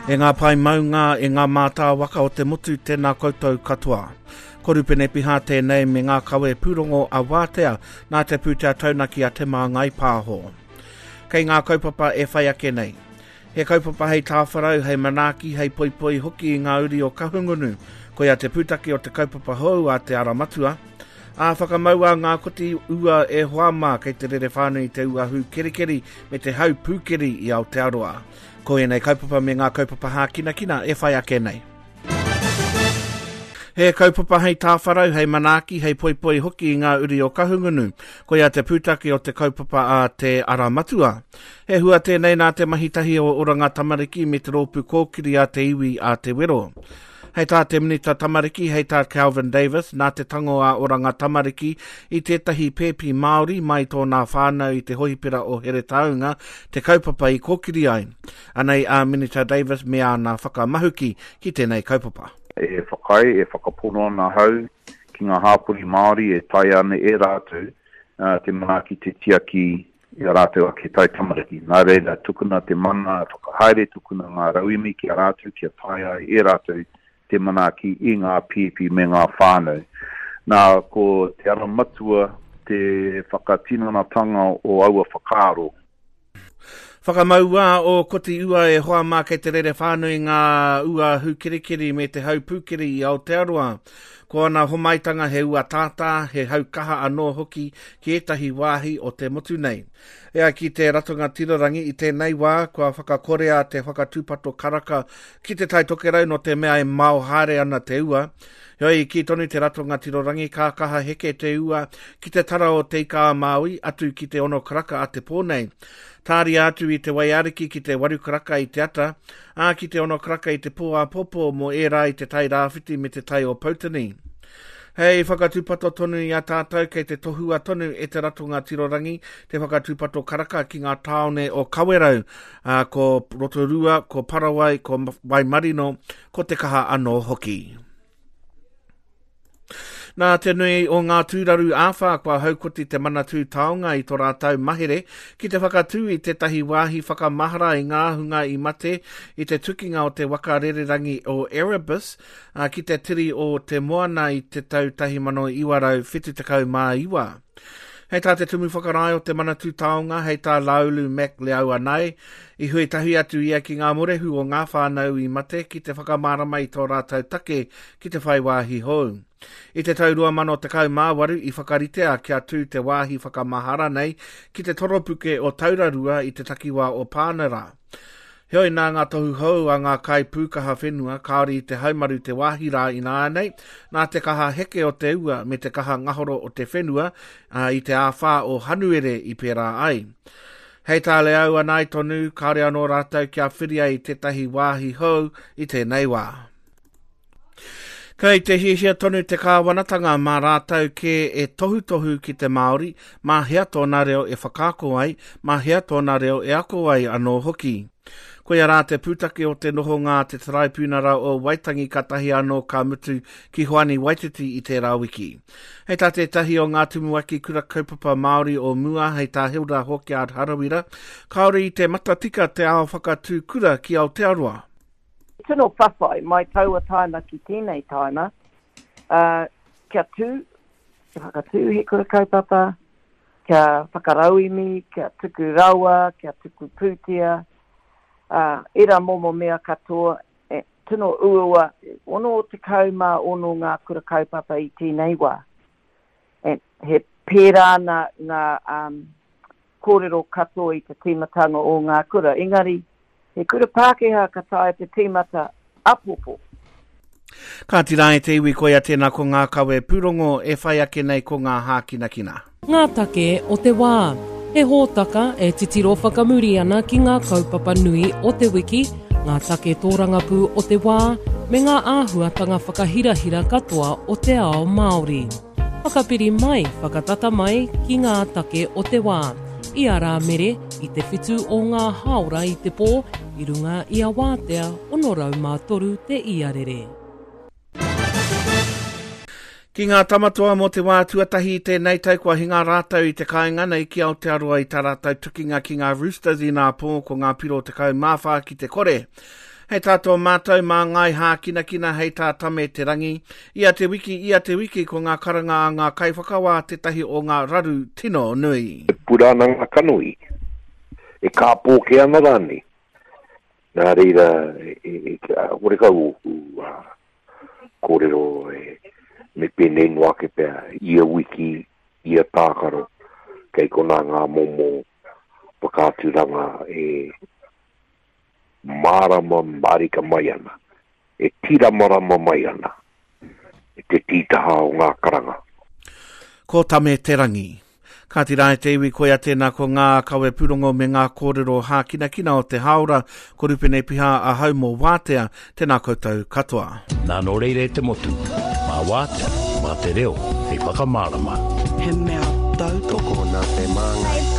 E ngā pae maunga, e ngā mātāwaka o te motu, tēnā koutou katoa. Ko Rupene Piha tēnei me ngā kawe pūrongo a Wātea nā te pūtea taunaki a Te Māngai Pāho. Kei ngā kaupapa e whai ake nei. He kaupapa hei tāwharau, hei manaaki, hei poipoi hoki i ngā uri o Kahungunu. Koia te pūtake o te kaupapa hou a Te Ara Matua. Ā, whakamaua ngā koti ua e hoa mā kei te rere whānui te ua hūkerikeri me te hau pūkeri i Aotearoa. Ko ēnei kaupapa me ngā kaupapa hākinakina e whai ake nei. He kaupapa hei tāwharau, hei manaaki, hei poipoi hoki i ngā uri o Kahungunu. Koia te pūtake o te kaupapa a Te Ara Matua. He hua tēnei nā te mahi tahi o Oranga Tamariki me te rōpū kōkiri a te iwi a Te Wero. Hei tā te Minita Tamariki, hei tā Kelvin Davis, nā te tango a Oranga Tamariki i tētahi pēpi Māori mai tōnā whānau i te hohipera o Heretaunga te kaupapa i kōkiri ai. Anei a Minita Davis me āna whakamahuki ki tēnei kaupapa. E whakaae, e whakapono ana ahau ki ngā hāpori Māori e taea ana e rātou te manaaki, te tiaki i a rātou ake taitamariki. Nā reira, tukuna te mana whakahaere, tukuna ngā rauemi ki a rātou kia taea ai e rātou te manaaki i ngā pēpi me ngā whānau. Nā, ko te ara matua te whakatinanatanga o aua whakaaro. Whakamaua o Koti Ua e hoa mā kei te rere whānui ngā ua hūkerikeri me te hau pūkeri i Aotearoa. Ko ana homaitanga he ua tātā, he hau kaha anō hoki ki ētahi wāhi o te motu nei. E ai ki te Ratonga Tirorangi i tēnei wā kua whakakorea te whakatūpato karaka ki Te Tai Tokerau nō te mea e mao haere ana te ua. Heoi, i kī tonu te Ratonga Tirorangi ka kaha heke te ua ki te tara o Te Ika-a-Māui atu ki te ono karaka a te pō nei. Tāria atu i te Waiariki ki te waru karaka i te ata, ā, ki te ono karaka i te pō āpōpō mō ērā i te Tai Rāwhiti me te Tai o Poutini. Hei whakatūpato tonu i a tātou kei te tohua tonu e te Ratonga Tirorangi te whakatūpato karaka ki ngā tāone o Kawerau, ā, ko Rotorua, ko Parawai, ko Waimarino, ko Te Kaha anō hoki. Nā te nui o ngā tūraru āwhā kua haukoti te Manatū Taonga i tō rātou mahere ki te whakatū i tētahi wāhi whakamahara i ngā hunga i mate i te tukinga o te waka rererangi o Erebus ki te tiri o te moana i te tau 1979. Hei tā te Tumu Whakarae o te Manatū Taonga, hei tā Laulu Mac Leauanae, i hui tahi atu ia ki ngā morehu o ngā whānau i mate ki te whakamārama i tō rātou take ki te whai wāhi hou. I te tau 2018 i whakaritea kia tū te wāhi whakamahara nei ki te toropuke o Taurarua i te takiwā o Pānera. Heoi nā ngā tohu hou a ngā kaipūkaha whenua kāore i te haumaru te wāhi rā ināianei, nā te kaha heke o te ua me te kaha ngahoro o te whenua ā, i te āwhā o Hanuere i pērā ai. Hei tā Leau Anae tonu, kāore anō rātou kia whiria i tētahi wāhi hou i tēnei wā. Kei te hiahia tonu te kāwanatanga mā rātou kē e tohutohu ki te Māori, mā hea tōna reo e whakaako ai, mā hea tōna reo e ako ai anō hoki. Koia rā te pūtake o te nohonga a te Taraipiunara o Waitangi kātahi anō ka mutu ki Hoani Waititi i tērā wiki. Hei tā tētahi o ngā tumuaki kura kaupapa Māori o mua, hei tā Hilda Hawkyard Harawira, kāore i te matatika te ao whakatū kura ki Aotearoa. Tino whawhai mai taua taima ki tēnei taima, ā, kia tū, kia whakatū he kura kaupapa, kia whakarauemi, kia tuku rawa, kia tuku pūtea, ā, ērā momo mea katoa, e, tino uaua, 66 ngā kura kaupapa i tēnei wā. E, he pērā ana ngā, um, kōrero katoa i te tīmatanga o ngā kura, engari he kura Pākehā ka taea te tīmata apopo. Kāti rā e te iwi koia tēnā ko ngā kawe pūrongo e whai ake nei ko ngā hākinakina. Ngā take o te wā. He hōtaka e titiro whakamuri ana ki ngā kaupapa nui o te wiki, ngā take tōrangapū o te wā, me ngā āhuatanga whakahirahira katoa o te ao Māori. Whakapiri mai, whakatata mai ki ngā take o te wā. I a Rāmere, i te whitu o ngā hāora i te pō, i runga i a Wātea 603 te iarere. Ki ngā tamatoa mō te wā tuatahi i tēnei tau kua hinga rātou i te kāinga nei ki Aotearoa i tā rātou tukinga ki ngā Roosters inā pō ko ngā piro 14 ki te kore. Hei tā tō mātou māngai hākinakina hei tā Tame Te Rangi, ia te wiki, ia te wiki ko ngā karanga a ngā kaiwhakawā tētahi o ngā raru tino nui. E pura ana ngā kanohi, e kāpō kē ana rānei. Nā reira, horekau ōku kōrero me pēnei noa ake pea, ia wiki, ia tākaro, kei konā ngā momo whakaaturanga e mārama mārika mai ana, e tīramarama mai ana i te tītaha o ngā karanga. Ko Tame Te Rangi. Kāti rā e te iwi koia tēnā ko ngā kawe pūrongo me ngā kōrero hākinakina o te hāora, ko Rupene Piha ahau mō Wātea, tēnā koutou katoa. Nā nō reira e te motu, mā Wātea, mā te reo hei whakamārama. He mea tautoko nā te Māngai.